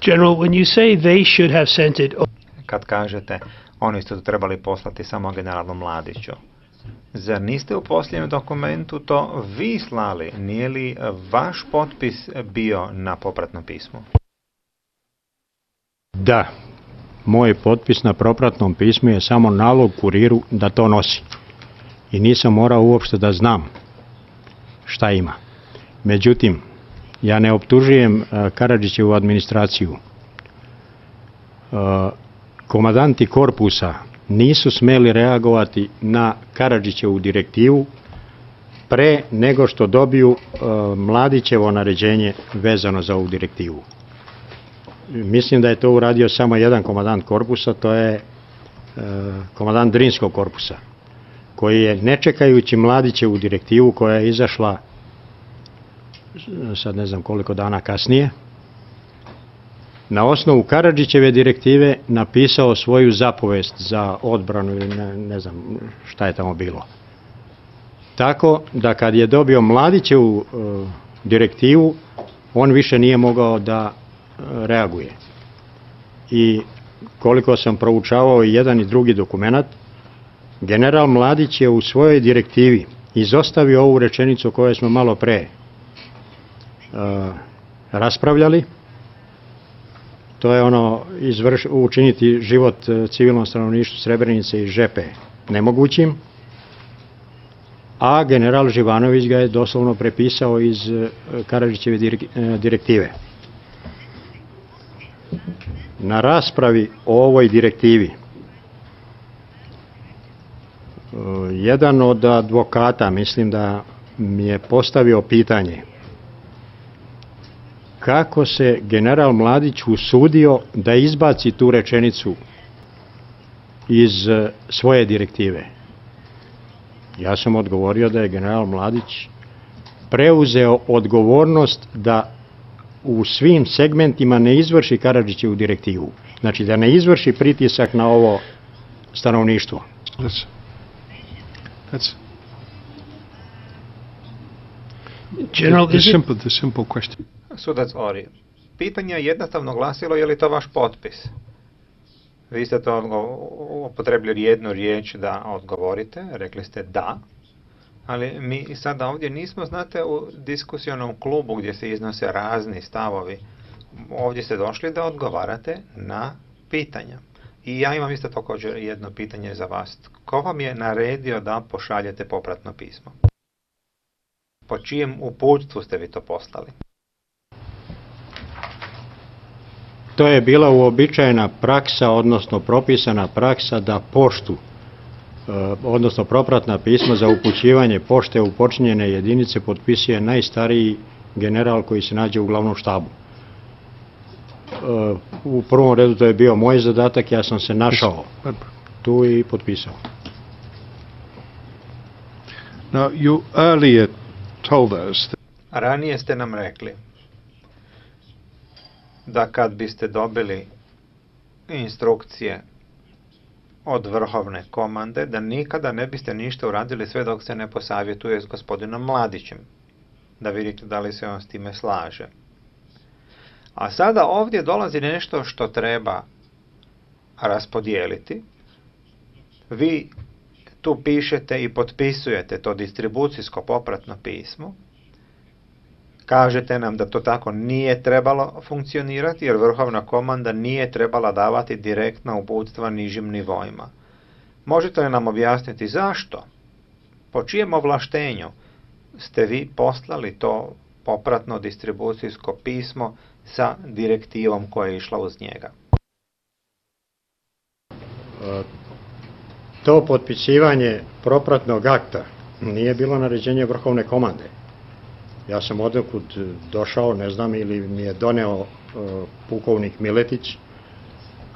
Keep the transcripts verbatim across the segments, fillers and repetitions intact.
General, when you say they should have sent it... Kad kažete, oni su to trebali poslati samo generalu Mladiću, zar niste u posljednjem dokumentu to vi slali? Nije li vaš potpis bio na popratnom pismu? Da, moj potpis na propratnom pismu je samo nalog kuriru da to nosi. I nisam morao uopšte da znam šta ima. Međutim, ja ne optužujem Karadžićevu administraciju. Komandanti korpusa nisu smeli reagovati na Karadžićevu direktivu pre nego što dobiju Mladićevo naređenje vezano za ovu direktivu. Mislim da je to uradio samo jedan komandant korpusa, to je komandant Drinskog korpusa, koji je, ne čekajući Mladićevu direktivu koja je izašla sad ne znam koliko dana kasnije, na osnovu Karadžićeve direktive napisao svoju zapovest za odbranu ili ne, ne znam šta je tamo bilo. Tako da kad je dobio Mladićevu e, direktivu, on više nije mogao da e, reaguje. I koliko sam proučavao i jedan i drugi dokumenat, general Mladić je u svojoj direktivi izostavio ovu rečenicu o kojoj smo malo pre e, raspravljali. To je ono izvrš, učiniti život civilnom stanovništvu Srebrenice i Žepe nemogućim, a general Živanović ga je doslovno prepisao iz Karadžićeve direktive. Na raspravi o ovoj direktivi jedan od advokata, mislim da mi je postavio pitanje kako se general Mladić usudio da izbaci tu rečenicu iz svoje direktive. Ja sam odgovorio da je general Mladić preuzeo odgovornost da u svim segmentima ne izvrši Karadžićevu direktivu. Znači da ne izvrši pritisak na ovo stanovništvo. That's, that's General, the, is it... simple, the simple question. Sudac Ori, pitanje je jednostavno glasilo je li to vaš potpis? Vi ste to upotrebili jednu riječ da odgovorite, rekli ste da, ali mi sada ovdje nismo, znate, u diskusionom klubu gdje se iznose razni stavovi. Ovdje ste došli da odgovarate na pitanja. I ja imam isto također jedno pitanje za vas. Ko vam je naredio da pošaljete popratno pismo? Po čijem uputstvu ste vi to poslali? To je bila uobičajena praksa, odnosno propisana praksa da poštu, odnosno propratna pisma za upućivanje pošte u počinjene jedinice potpisuje najstariji general koji se nađe u glavnom štabu. U prvom redu to je bio moj zadatak, ja sam se našao tu i potpisao. Now, you earlier told us that... Ranije ste nam rekli da kad biste dobili instrukcije od vrhovne komande, da nikada ne biste ništa uradili sve dok se ne posavjetuje s gospodinom Mladićem, da vidite da li se on s time slaže. A sada ovdje dolazi nešto što treba raspodijeliti. Vi tu pišete i potpisujete to distribucijsko popratno pismo. Kažete nam da to tako nije trebalo funkcionirati, jer vrhovna komanda nije trebala davati direktna uputstva nižim nivoima. Možete li nam objasniti zašto? Po čijem ovlaštenju ste vi poslali to popratno distribucijsko pismo sa direktivom koja je išla uz njega? To potpisivanje propratnog akta nije bilo naređenje vrhovne komande. Ja sam odnekud došao, ne znam, ili mi je doneo uh, pukovnik Miletić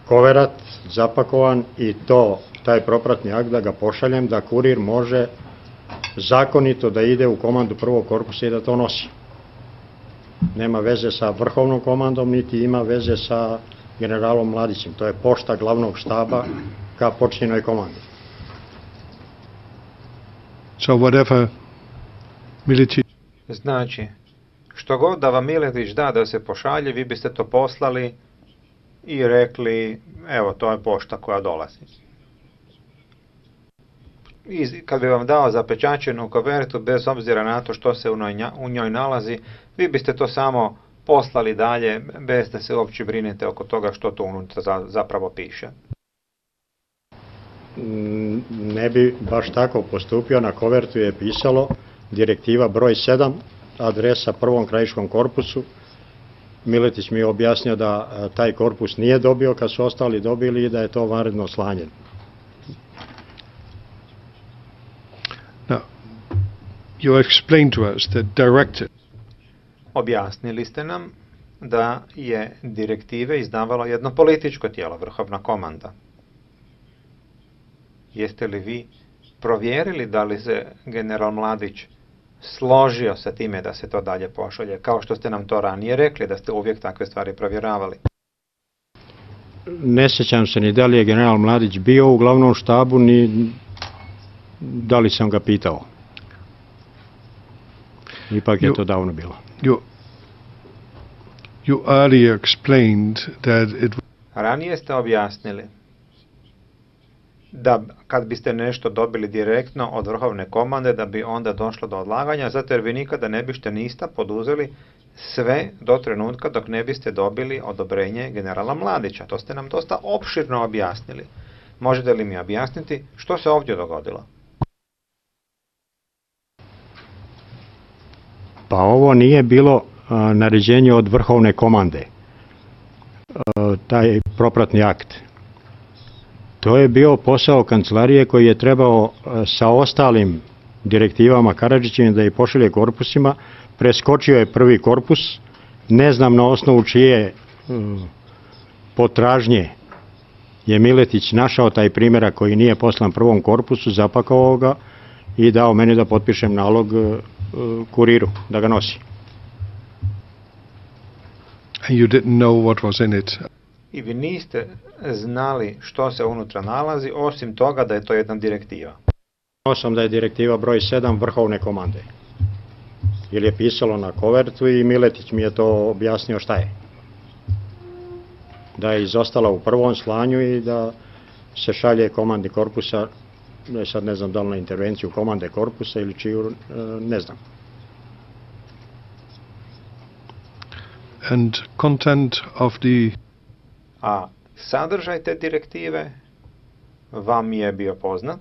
koverat zapakovan i to, taj propratni akt da ga pošaljem, da kurir može zakonito da ide u komandu prvog korpusa i da to nosi. Nema veze sa vrhovnom komandom, niti ima veze sa generalom Mladićem. To je pošta glavnog štaba ka počinjenoj komandi. So whatever Miletić... Znači, što god da vam Miletić da da se pošalje, vi biste to poslali i rekli, evo, to je pošta koja dolazi. I kad bi vam dao zapečaćenu kovertu, bez obzira na to što se u njoj, u njoj nalazi, vi biste to samo poslali dalje, bez da se uopće brinete oko toga što to unutra za, zapravo piše. Ne bi baš tako postupio, na kovertu je pisalo direktiva broj sedam, adresa prvom krajiškom korpusu. Miletić mi je objasnio da taj korpus nije dobio kad su ostali dobili i da je to vanredno slanje. Now, you explained to us that directive. Objasnili ste nam da je direktive izdavalo jedno političko tijelo, vrhovna komanda. Jeste li vi provjerili da li se general Mladić složio sa time da se to dalje pošalje, kao što ste nam to ranije rekli, da ste uvijek takve stvari provjeravali? Ne sjećam se ni da li je general Mladić bio u glavnom štabu, ni da li sam ga pitao. Ipak je You- to davno bilo. You, you earlier explained that it Ranije ste objasnili da kad biste nešto dobili direktno od vrhovne komande, da bi onda došlo do odlaganja, zato jer vi nikada ne biste nista poduzeli sve do trenutka dok ne biste dobili odobrenje generala Mladića. To ste nam dosta opširno objasnili. Možete li mi objasniti što se ovdje dogodilo? Pa ovo nije bilo a, naređenje od vrhovne komande, a, taj propratni akt. To je bio posao kancelarije koji je trebao a, sa ostalim direktivama Karadžićevim da ih pošalje korpusima. Preskočio je prvi korpus, ne znam na osnovu čije um, potražnje je Miletić našao taj primjerak koji nije poslan prvom korpusu, zapakao ga i dao meni da potpišem nalog uh, kuriru da ga nosi. and you didn't know what was in it. I vi niste znali što se unutra nalazi, osim toga da je to jedna direktiva. Znao sam da je direktiva broj sedam vrhovne komande. Jer je pisalo na kovertu i Miletić mi je to objasnio šta je. Da je izostala u prvom slanju i da se šalje komandi korpusa, ne, sad ne znam da li na intervenciju komande korpusa ili čiju, e, ne znam. And content of the A sadržaj te direktive vam je bio poznat?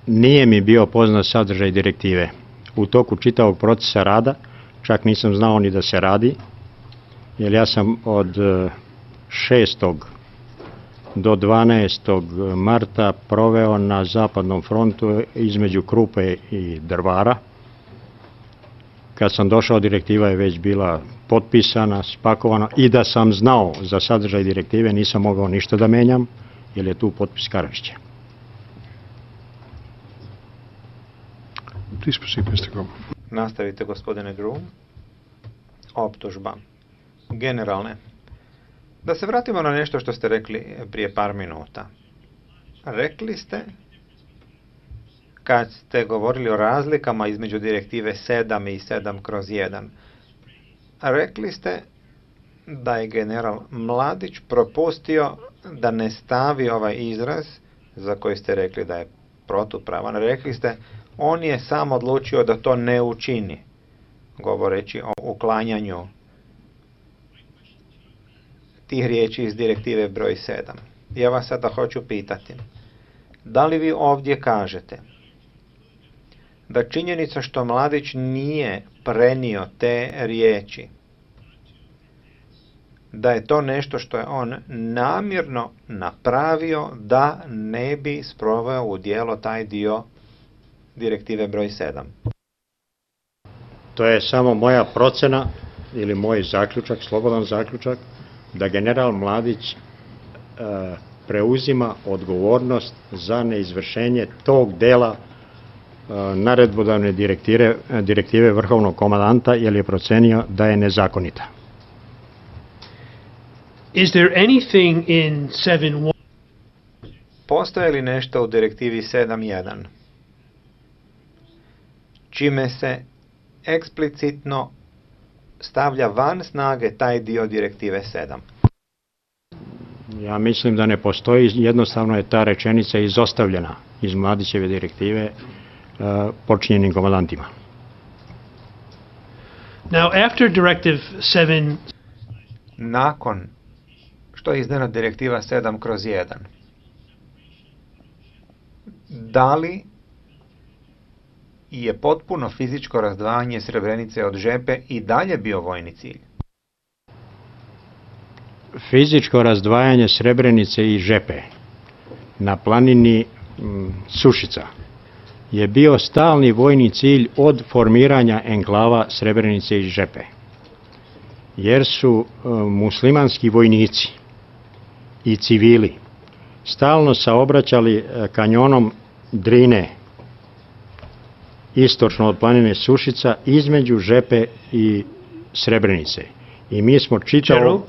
Nije mi bio poznat sadržaj direktive. U toku čitavog procesa rada, čak nisam znao ni da se radi, jer ja sam od e, šestog do dvanaestog marta proveo na zapadnom frontu između Krupe i Drvara. Kad sam došao, direktiva je već bila potpisana, spakovana i da sam znao za sadržaj direktive nisam mogao ništa da menjam, jer je tu potpis Karadžića. please proceed, mister Grom. Nastavite, gospodine Groom. Optužba. Generalne. Da se vratimo na nešto što ste rekli prije par minuta. Rekli ste, kad ste govorili o razlikama između direktive sedam i sedam kroz jedan, rekli ste da je general Mladić propustio da ne stavi ovaj izraz za koji ste rekli da je protupravan. Rekli ste, on je sam odlučio da to ne učini, govoreći o uklanjanju tih riječi iz direktive broj sedam. Ja vas sada hoću pitati, da li vi ovdje kažete da činjenica što Mladić nije prenio te riječi, da je to nešto što je on namjerno napravio da ne bi sproveo u djelo taj dio direktive broj sedam? To je samo moja procena ili moj zaključak, slobodan zaključak, da general Mladić e, preuzima odgovornost za neizvršenje tog dela e, naredbodavne direktive, direktive vrhovnog komandanta, jer je procenio da je nezakonita. Is there anything in seven one Postoje li nešto u direktivi sedam jedan čime se eksplicitno stavlja van snage taj dio direktive sedam? Ja mislim da ne postoji, jednostavno je ta rečenica izostavljena iz Mladićeve direktive uh, počinjenim komandantima. Now, after Directive seven, Nakon što je izdana direktiva sedam kroz jedan, da li je potpuno fizičko razdvajanje Srebrenice od Žepe i dalje bio vojni cilj? Fizičko razdvajanje Srebrenice i Žepe na planini m, Sušica je bio stalni vojni cilj od formiranja enklava Srebrenice i Žepe, jer su e, muslimanski vojnici i civili stalno saobraćali e, kanjonom Drine istočno od planine Sušica između Žepe i Srebrenice. I mi smo čitavo... General,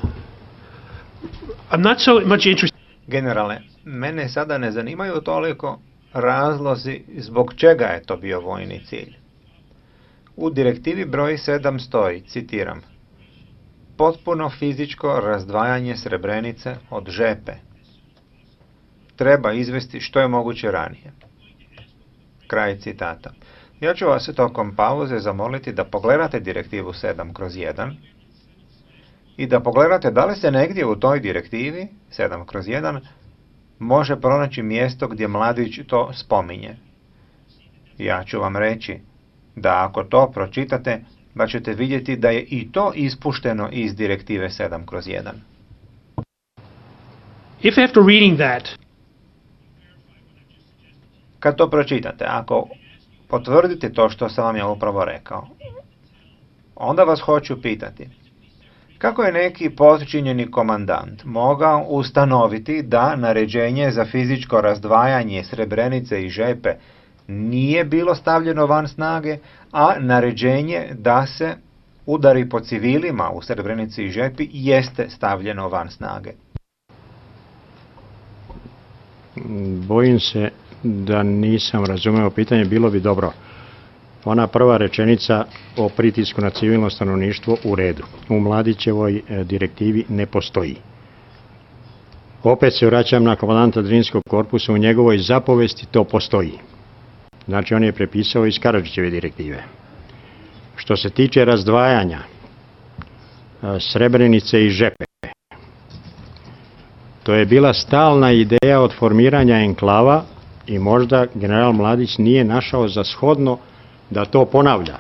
I'm not so much interested. Generale, mene sada ne zanimaju toliko razlozi zbog čega je to bio vojni cilj. U direktivi broj sedam stoji, citiram, potpuno fizičko razdvajanje Srebrenice od Žepe treba izvesti što je moguće ranije. Kraj citata. Ja ću vas tokom pauze zamoliti da pogledate direktivu sedam kroz jedan i da pogledate da li se negdje u toj direktivi sedam kroz jedan može pronaći mjesto gdje Mladić to spominje. Ja ću vam reći da ako to pročitate, da ćete vidjeti da je i to ispušteno iz direktive sedam kroz jedan. If after reading that, Kad to pročitate, ako potvrdite to što sam vam ja upravo rekao, onda vas hoću pitati, kako je neki potčinjeni komandant mogao ustanoviti da naređenje za fizičko razdvajanje Srebrenice i Žepe nije bilo stavljeno van snage, a naređenje da se udari po civilima u Srebrenici i Žepi jeste stavljeno van snage? Bojim se da nisam razumeo pitanje, bilo bi dobro. Ona prva rečenica o pritisku na civilno stanovništvo u redu. U Mladićevoj e, direktivi ne postoji. Opet se vraćam na komandanta Drinskog korpusa, u njegovoj zapovesti to postoji. Znači on je prepisao iz Karadžićeve direktive. Što se tiče razdvajanja e, Srebrenice i Žepe, to je bila stalna ideja od formiranja enklava i možda general Mladić nije našao za shodno da to ponavlja.